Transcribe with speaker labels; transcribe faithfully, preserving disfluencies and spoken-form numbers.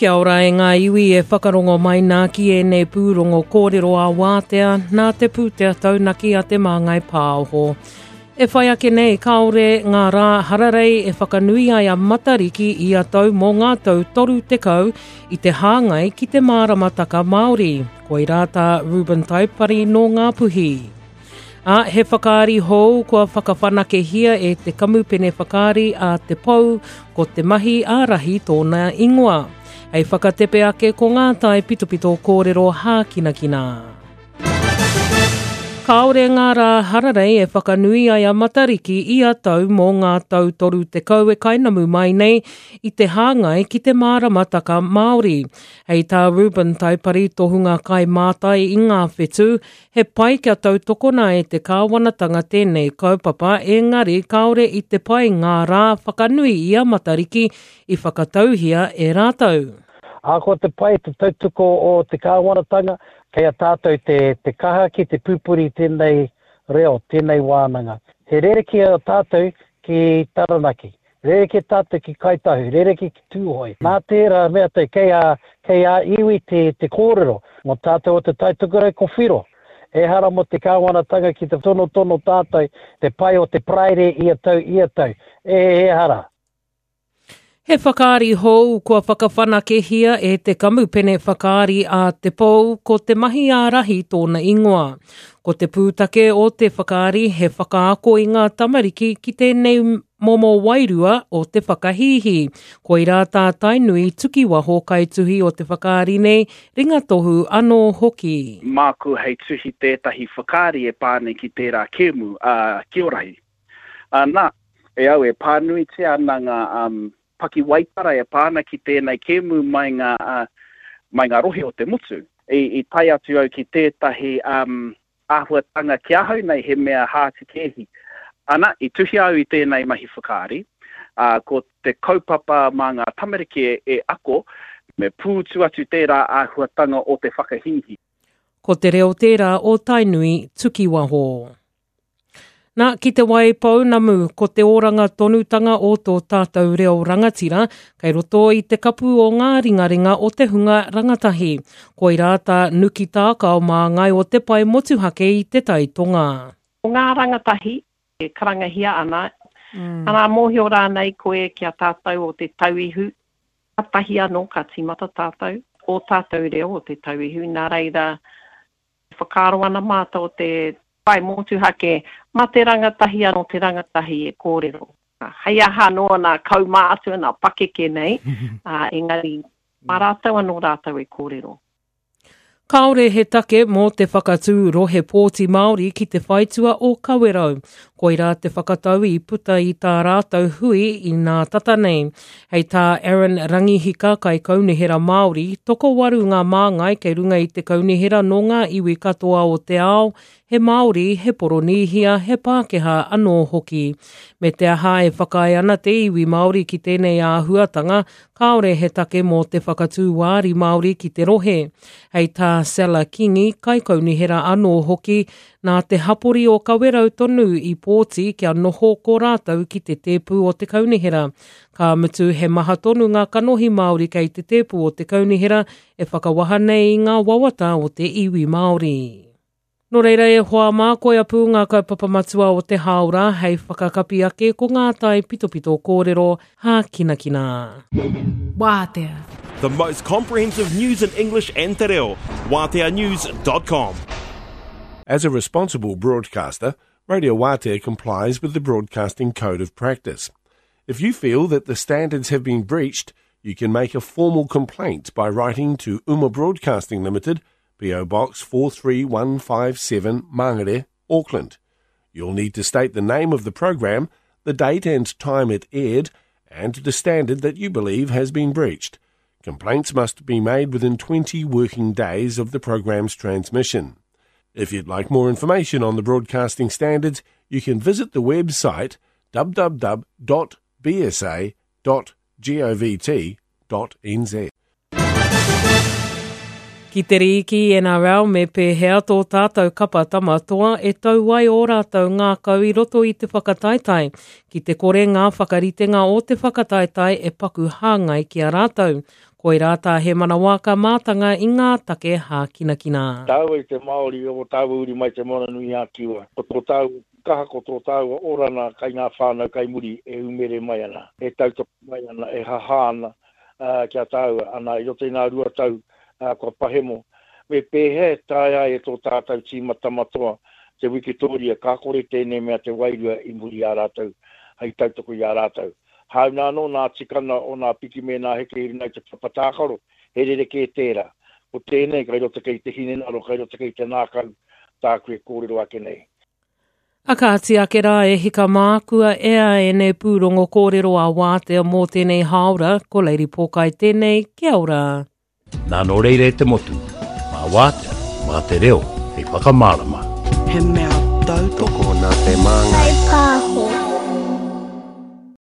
Speaker 1: Kia ora e ngā iwi e whakarongo mai nā ki ēnei pūrongo kōrero a wātea nā te pūtea taunaki a Te Māngai Pāho. E whai ake nei, kāore ngā rā hararei e whakanui ai a Matariki i a tau mō ngā tau toru tekau i te hāngai ki te māramataka Māori. Koirā tā Ruben Taipari nō Ngāpuhi. A, he whakaari hou kua whakawhanakehia e te kamupene whakaari a Te Pou, ko te mahi ārahi tōna ingoa. Hei whakatepe ake ko ngā tai pitopito kōrero hākinakina. Kāore ngā rā hararei e whakanui ai a Matariki i a tau mō ngā tau toru tekau e kainamu mai nei i te hāngai ki te māramataka Māori. Hei tā Ruben Taipari tohunga kai mātai i ngā whetū, he pai kia tautokona e te kāwanatanga tēnei kaupapa, engari kāore i te pai ngā rā whakanui i a Matariki i whakatauhia e rātou.
Speaker 2: Ahakoa te pai te tautoko o te kāwanatanga, kei a tātou te, te kaha ki te pupuri tēnei reo, tēnei wānanga. He rerekē a tātou ki Taranaki, rerekē tātou ki Kāi Tahu, rerekē ki Tūhoe. Nā tērā mea te kei a, kei a iwi te, te kōrero, mō tātou o Te Tai Tokerau ko Whiro. Ehara mō te kāwanatanga ki te tonotono tātou te pai o te Paraire ia tau, ia tau. E, ehara.
Speaker 1: He whakaari hou kua whakawhanakehia e te kamupene whakaari a Te Pou, ko te mahi ārahi tōna ingoa. Ko te pūtake o te whakaari he whakaako i ngā tamariki ki tēnei momo wairua o te whakahīhī. Koirā tā Tainui Tukiwaho kaituhi o te whakaari nei, ringatohu anō hoki.
Speaker 3: Māku hei tuhi tētahi whakaari e pā nei ki tērā kēmu, a Kiorahi. Nā, e au e pānuitia ana ngā um, pakiwaitara e pā ana ki tēnei kēmu mai ngā, uh, mai ngā rohe o te motu. I, i tae atu au ki tētahi um, āhuatanga ki ahau nei he mea hātikēhi. Ana, i tuhi au i tēnei mahi whakaari, uh, ko te kaupapa mā ngā tamariki e, e ako, me pūtu atu tērā āhuatanga o te whakahīhī.
Speaker 1: Ko te reo tērā o Tainui Tukiwaho. Nā, ki te wai pounamu, ko te oranga tonutanga o tō tātou reo rangatira, kei roto i te kapu o ngā ringaringa o te hunga rangatahi. Koirā tā Nuki Tākao māngai o te pae motuhake i te Tai Tonga.
Speaker 4: Ko ngā rangatahi e karangahia ana, mm. ana mōhio rānei koe ki a tātou o te tauihu, tahi anō ka tīmata tātou, o tātou reo o te tauihu, nā reira whakaaro ana mātou o te pae motuhake, mā te rangatahi anō te rangatahi e kōrero. Hei aha anō nā kaumātua, nā pakeke nei, uh, engari mā rātou anō rātou e kōrero.
Speaker 1: Kāore he take mō te whakatū rohe pōti Māori ki te whaitua o Kawerau. Koirā te whakatau i puta i tā rātou hui i nā tata nei. Hei tā Aaron Rangihika kai kaunihera Māori, tokowaru ngā māngai kei runga i te kaunihera nō ngā iwi katoa o te ao, he Māori, he Poronīhia, he Pākehā anō hoki. Me te aha e whakaae ana te iwi Māori ki tēnei āhuatanga, kāore he take mō te whakatū wāri Māori ki te rohe. Hei tā Sela Kingi, kaikaunihera anō hoki, nā te hapori o Kawerau tonu i pōti kia noho ko rātou ki te tēpu o te kaunihera. Ka mutu he maha tonu ngā kanohi Māori kei te tēpu o te kaunihera e whakawaha nei i ngā wawata o te iwi Māori. Nō reira e hoa mā, koia pū ngā kaupapa matua o te hāora hei whakakapi ake ko ngā tai pitopito kōrero hākinakina.
Speaker 5: Wātea.
Speaker 6: The most comprehensive news in English and te reo. Waatea news dot com.
Speaker 7: As a responsible broadcaster, Radio Waatea complies with the Broadcasting Code of Practice. If you feel that the standards have been breached, you can make a formal complaint by writing to Uma Broadcasting Limited, P O Box four three one five seven, Mangere, Auckland. You'll need to state the name of the program, the date and time it aired, and the standard that you believe has been breached. Complaints must be made within twenty working days of the program's transmission. If you'd like more information on the broadcasting standards, you can visit the website w w w dot b s a dot govt dot n z.
Speaker 1: Ki te rīki N R L me pēhea tō tātou kapa Tama Toa e tau ai ō rātou ngākau i roto i te whakataetae, ki te kore ngā whakaritenga o te whakataetae e paku hāngai ki a rātou. Koirā tā Hemana Waaka mātanga i ngā take hākinakina.
Speaker 8: Tāua i te Māori o tāua uri mai Te Moana nui a Kiwa. Ko tō tāua kaha, ko tō tāua orana kai ngā whānau kai muri e umere mai ana, e tautoko mai ana, e hahā ana uh, kia tāua. Ana i roto i ngā rua tau uh, kua pahemo. Me pēhea e taea ai e tō tātou tīma Tama Toa te wikitoria, ka kore tēnei mea te wairua i muri i a rātou, hei tautoko i a rātou. Hāunga anō nā tikana o nā piki me nā heke i runga i te papa tākaro, he rerekē tērā. Ko tēnei, kai roto kei te hinengaro, kai roto kei te ngākau, tāku e kōrero ake nei.
Speaker 1: A kāti ake rā e hika mā, kua ea ēnei pūrongo kōrero a Wātea mō tēnei hāora, ko Lady Pōkai tēnei, kia ora.
Speaker 9: Nā nō reira e te motu, mā Wātea, mā te reo, hei whakamārama.
Speaker 10: He mea tautoko
Speaker 11: Tokona te māngai.